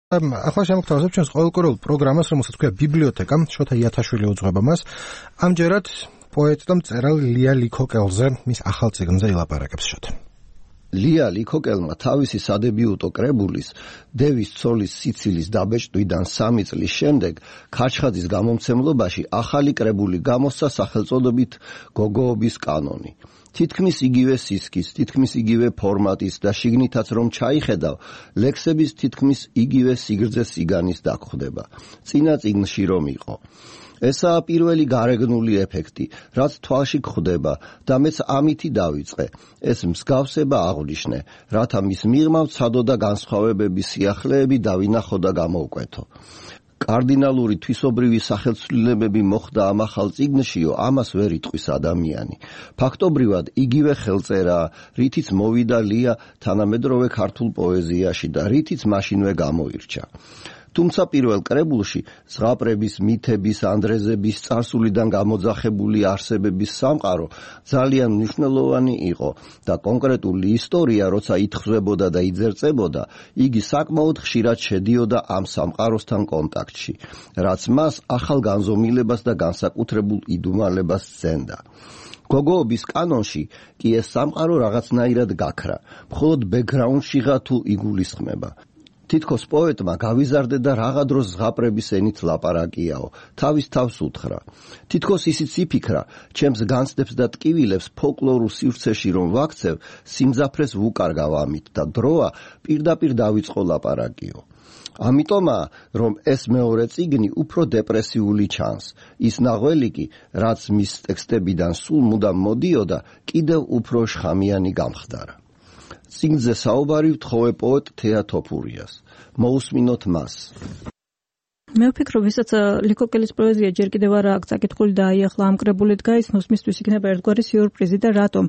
ახლა შემოგთავაზებ ჩვენს ყოველკვირეულ პროგრამას, რომელსაც ქვია ბიბლიოთეკა, შოთა იათაშვილი უძღვება მას. ამჯერად პოეტ და მწერალ ლია ლიქოკელზე, მის ახალ წიგნზე ილაპარაკებს შოთა. ლია ლიქოკელმა თავისი სადებიუტო კრებულის დევის ცოლის სიცილის დაბეჭდვიდან 3 წლის შემდეგ ქარჩხაძის გამომცემლობაში ახალი კრებული გამოსცა სახელწოდებით გოგოობის კანონი. თითქმის იგივე სისქის, თითქმის იგივე ფორმატის და შიგნითაც რომ ჩაიხედავ, ლექსების თითქმის იგივე სიგრძე სიგანის დაგხვდება. წინა წიგნში რომ იყო. ესაა პირველი გარეგნული ეფექტი, რაც თვალში გვხვდება და მეც ამითი დავიწყე. ეს მსგავსება აღვნიშნე, რათა მის მიღმა ვცადო და განსხვავებების სიახლეები დავინახო და გამოვკვეთო. კარდინალური თვისობრივი სახელცვლილებები მოხდა ამ ახალ წიგნშიო, ამას ვერ იტყვის ადამიანი. ფაქტობრივად იგივე ხელწერაა, რითიც მოვიდა ლია თანამედროვე ქართულ პოეზიაში და რითიც მაშინვე გამოირჩა. თუმცა პირველ კრებულში ზღაპრების, მითების, ანდრეზების, წარსულიდან გამოძახებული არსებების სამყარო ძალიან მნიშვნელოვანი იყო და კონკრეტული ისტორია, როცა ითხვებოდა და იძერწებოდა, იგი საკმაოდ ხშირად შედიოდა ამ სამყაროსთან კონტაქტში, რაც მას ახალ განზომილებას და განსაკუთრებულ იდუმალებას სცენდა. გოგოობის კანონში კი ეს სამყარო რაღაცნაირად გაქრა, მხოლოდ ბექგრაუნდშიღა თუ იგულისხმება. თითქოს პოეტმა გავიზარდე და რაღა დროს ზღაპრების ენით ლაპარაკიაო, თავის თავს უთხრა. თითქოს ისიც იფიქრა, ჩემს განცდებს და ტკივილებს ფოლკლორულ სივრცეში რომ ვაქცევ, სიმძაფრეს ვუკარგავ ამით და დროა პირდაპირ დავიწყო ლაპარაკიო. ამიტომაა, რომ ეს მეორე წიგნი უფრო დეპრესიული ჩანს. ის ნაღველი კი, რაც მის ტექსტებიდან სულ მუდამ მოდიოდა, კიდევ უფრო შხამიანი გამხდარა. წიგნზე საუბარი ვთხოვე პოეტ თეა თოფურიას. მოусმინოთ მას. მე ვფიქრობ, ვისაც ლიქოკელის პოეზია ჯერ კიდევ არ აქვს წაკითხული და აი ახლა ამ კრებულით გაიცნოს, მისთვის იქნება ერთგვარი სიურპრიზი და რატომ?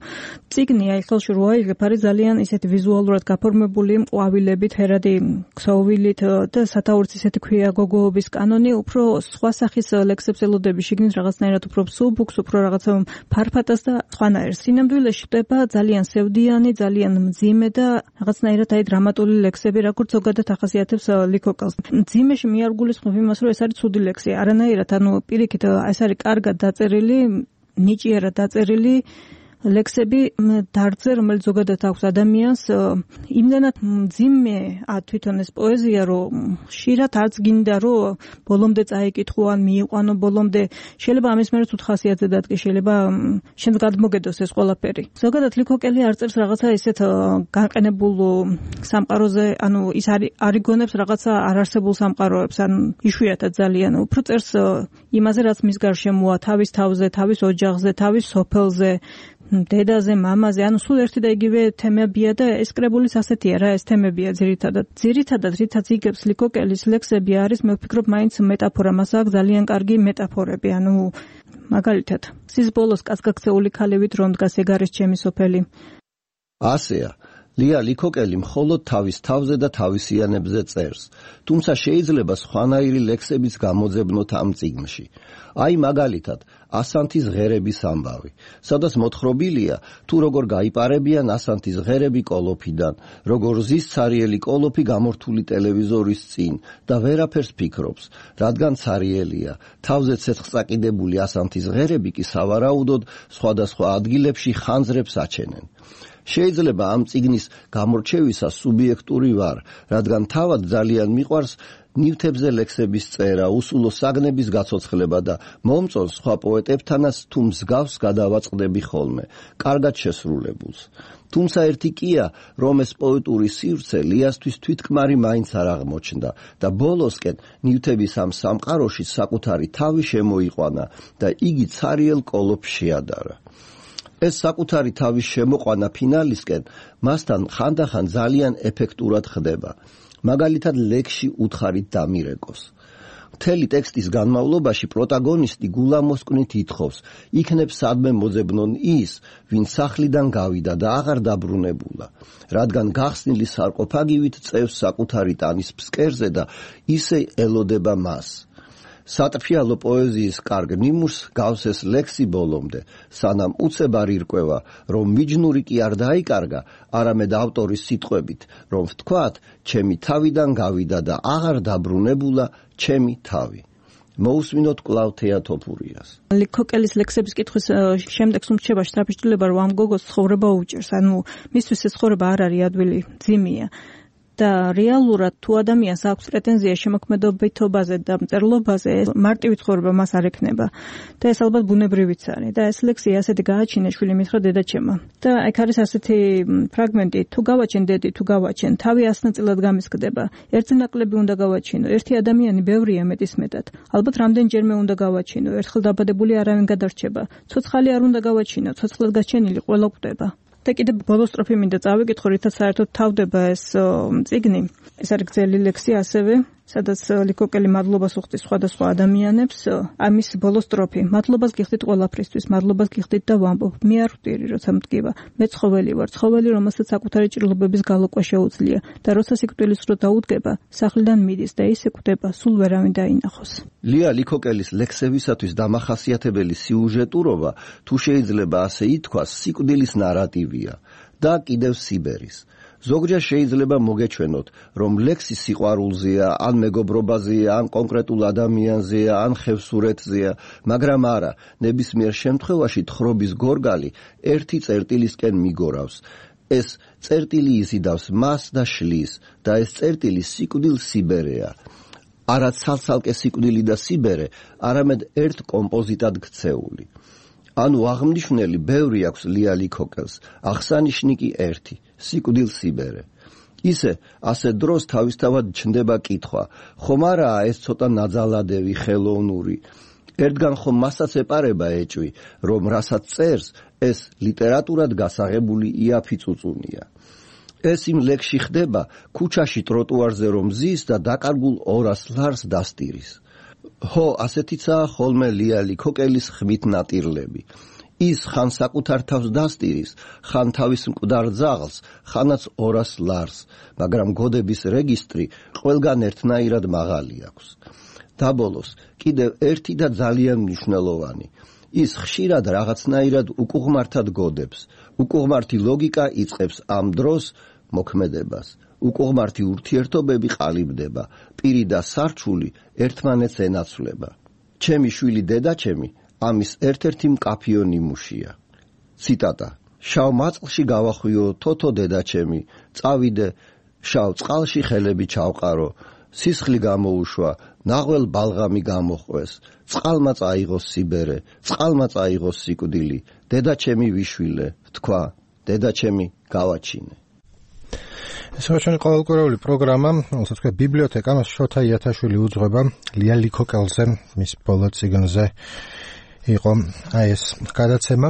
წიგნი აი ხელში რო აიღებ, არის ძალიან ისეთი ვიზუალურად გაფორმებული, ყვავილებით, ჰერადი ქსოვილით და სათაურიც ისეთი ქვია გოგოობის კანონი, უფრო სხვა სახის ლექსებს ელოდები, შიგნით რაღაცნაირად უფრო სუბუქს, უფრო რაღაცა ფარფატას და სხვანაირ. სინამდვილეში ხდება ძალიან სევდიანი, ძალიან მძიმე და რაღაცნაირად აი დრამატული ლექსები, როგორც ზოგადად ახასიათებს ლიქოკელს. მძიმეში მე არ გულისხმობ იმას, რომ ეს არის ცუდი ლექსი. არანაირად, პირიქით, ეს არის კარგად დაწერილი, ნიჭიერად დაწერილი ლექსები დარგზე, რომელიც ზოგადად აქვს ადამიანს, იმდანად მძიმეა თვითონ ეს პოეზია, რომ ხშირად არც გინდა, რომ ბოლომდე წაიკითხო ან მიიყვანო ბოლომდე. შეიძლება ამის მერეც უთხასიათზე დადგე, შეიძლება შენს გადმოგედოს ეს ყველაფერი. ზოგადად ლიქოკელი არ წერს რაღაცა ისეთ განყენებულ სამყაროზე, ის არ იგონებს რაღაცა არარსებულ სამყაროებს, ან იშვიათად ძალიან. უფრო წერს იმაზე, რაც მის გარშემოა, თავის თავზე, თავის ოჯახზე, თავის სოფელზე, დედაზე, მამაზე, სულ ერთი და იგივე თემებია და ეს კრებულის ასეთია რა, ეს თემებია ძირითადად. ძირითადად, რითაც იგებს ლიქოკელის ლექსები არის, მე ვფიქრობ, მაინც მეტაფორა, მას აქვს ძალიან კარგი მეტაფორები, მაგალითად, სის ბოლოს კაცგაქცეული ქალივით რომ დგას ეგ არის ჩემი სოფელი. ასეა. ლია ლიქოკელი მხოლოდ თავის თავზე და თავისიანებზე წერს, თუმცა შეიძლება სხვანაირი ლექსებიც გამოძებნოთ ამ წიგნში. აი მაგალითად, ასანთის ღერების ამბავი, სადაც მოთხრობილია, თუ როგორ გაიპარებიან ასანთის ღერები კოლოფიდან, როგორ ზის ცარიელი კოლოფი გამორთული ტელევიზორის წინ და ვერაფერს ფიქრობს, რადგან ცარიელია, თავზე ცეცხლსაკიდებული ასანთის ღერები კი სავარაუდოდ სხვადასხვა ადგილებში ხანძრებს აჩენენ. შეიძლება ამ წიგნის გამორჩევისას სუბიექტური ვარ, რადგან თავად ძალიან მიყვარს ნივთებზე ლექსების წერა, უსულო საგნების გაცოცხლება და მომწონს სხვა პოეტებთანაც თუ მსგავს გადავაწყდები ხოლმე, კარგად შესრულებულს. თუმცა ერთი კია, რომ ეს პოეტური სივრცე ლიასთვის თვითკმარი მაინც არ აღმოჩნდა და ბოლოსკენ ნივთების ამ სამყაროში საკუთარი თავი შემოიყვანა და იგი ცარიელ კოლოფს შეადარა. ეს საკუთარი თავის შემოყვანა ფინალისკენ მასთან ხანდახან ძალიან ეფექტურად ხდება. მაგალითად ლექსში უთხარით დამირეკოს. მთელი ტექსტის განმავლობაში პროტაგონისტი გულამოსკვნით ითხოვს, იქნებ სადმე მოძებნონ ის, ვინც სახლიდან გავიდა და აღარ დაბრუნებულა, რადგან გახსნილი სარკოფაგივით წევს საკუთარი ტანის ფსკერზე და ისე ელოდება მას. სატრფიალო პოეზიის კარგ ნიმუშს გავს ეს ლექსი ბოლომდე, სანამ უცებ არ ირკვევა, რომ მიჯნური კი არ დაიკარგა, არამედ ავტორის სიტყვებით, რომ ვთქვათ, ჩემი თავიდან გავიდა და აღარ დაბრუნებულა ჩემი თავი. მოусმინოთ კვლავ თეატოფურიას. ლიქოკელის ლექსების კითხვის შემდეგ სუმჩება შთაბეჭდილება, რომ ამ გოგოს ცხოვრება უჭერს, ანუ მისთვის ეს ცხოვრება არ არის ადვილი, ძიმია. და რეალურად თუ ადამიანს აქვს პრეტენზია შემოქმედობითობაზე და მწერლობაზე, მარტივი ცხოვრება მას არ ექნება. და ეს ალბათ ბუნებრივიც არის. და ეს ლექსი ასეთი გააჩინა შვილი მითხრა დედაჩემმა. და ეგ არის ასეთი ფრაგმენტი, თუ გავაჩენ დედი, თუ გავაჩენ, თავი ასნაწილად გამისკდება. ერთი ნაკლები უნდა გავაჩინო, ერთი ადამიანი ბევრია მეტისმეტად. ალბათ რამდენჯერმე უნდა გავაჩინო, ერთხელ დაბადებული არავინ გადარჩება. ცოცხალი არ უნდა გავაჩინო, ცოცხლად გაჩენილი ყველა კვდება. და კიდე ბოლო სტროფი მინდა წავიკითხო, რითაც საერთოდ თავდება ეს წიგნი. ეს არის გრძელი ლექსი ასევე, სადაც ლიქოკელი მადლობას უხდის სხვადასხვა ადამიანებს. ამის ბოლო სტროფი. მადლობას გიხდით ყველაფრისთვის, მადლობას გიხდით და ვამბობ. მე არ ვტირი, როცა მტკივა. მე ცხოველი ვარ, ცხოველი, რომელსაც საკუთარი ჭრილობების გალოკვა შეუძლია და როცა სიკვდილის დრო დაუდგება, სახლიდან მიდის და ისე კვდება, სულ ვერავინ დაინახოს. ლია ლიქოკელის ლექსებისათვის დამახასიათებელი სიუჟეტურობა, თუ შეიძლება ასე ითქვას, სიკვდილის ნარატივია და კიდევ სიბერის. ზოგჯერ შეიძლება მოგეჩვენოთ, რომ ლექსი სიყვარულზეა, ან მეგობრობაზეა, ან კონკრეტულ ადამიანზეა, ან ხევსურეთზეა, მაგრამ არა, ნებისმიერ შემთხვევაში თხრობის გორგალი ერთი წერტილისკენ მიგორავს. ეს წერტილი იზიდავს მას და შლის და ეს წერტილი სიკვდილ სიბერეა. არა ცალ-ცალკე სიკვდილი და სიბერე, არამედ ერთ კომპოზიტად ქცეული. ანუ აღმნიშვნელი ბევრი აქვს ლია ლიქოკელს, აღსანიშნი კი ერთი, სიკვდილ სიბერე. ისე, ასე დროს თავისთავად ჩნდება კითხვა, ხომ არაა ეს ცოტა ნაძალადევი, ხელოვნური. ერთგან ხომ მასაც ეპარება ეჭვი, რომ რასაც წერს, ეს ლიტერატურად გასაღებული იაფი-წუწუნია. ეს იმ ლექსში ხდება, ქუჩაში ტროტუარზე რომ ზის და დაკარგულ 200 ლარს დასტირის. ხო, ასეთიცაა ხოლმე ლია ლიქოკელის ხმით ნატირლები. ის ხან საკუთარ თავს დასტირის, ხან თავის მკვდარ ძაღლს, ხანაც 200 ლარს, მაგრამ გოდების რეგისტრი ყველგან ერთნაირად მაღალი აქვს. დაბოლოს, კიდევ ერთი და ძალიან მნიშვნელოვანი. ის ხშირად რაღაცნაირად უკუღმართად გოდებს. უკუღმართი ლოგიკა იწყებს ამ დროს მოქმედებას. უკუღმართი ურთიერთობები ყალიბდება, პირი და სარჩული ერთმანეთს ენაცვლება. ჩემი შვილი დედაჩემი ამის ერთ-ერთი მკაფიო ნიმუშია. ციტატა. შავ მაწლში გავახვიო თოთო დედაჩემი, წავიდე, შავ წყალში ხელები ჩავყარო, სისხლი გამოუშვა, ნაღვალ ბალღამი გამოყვეს, წყალმა წაიღოს სიბერე, წყალმა წაიღოს სიკვდილი, დედაჩემი ვიშვილე, თქვა, დედაჩემი გავაჩინე. ეს ჩვენი ყოველკვირეული პროგრამა, რომელსაც თქვა ბიბლიოთეკა, შოთა იათაშვილი უძღვება ლია ლიქოკელზე, მის ბოლო წიგნზე იყო ეს გადაცემა.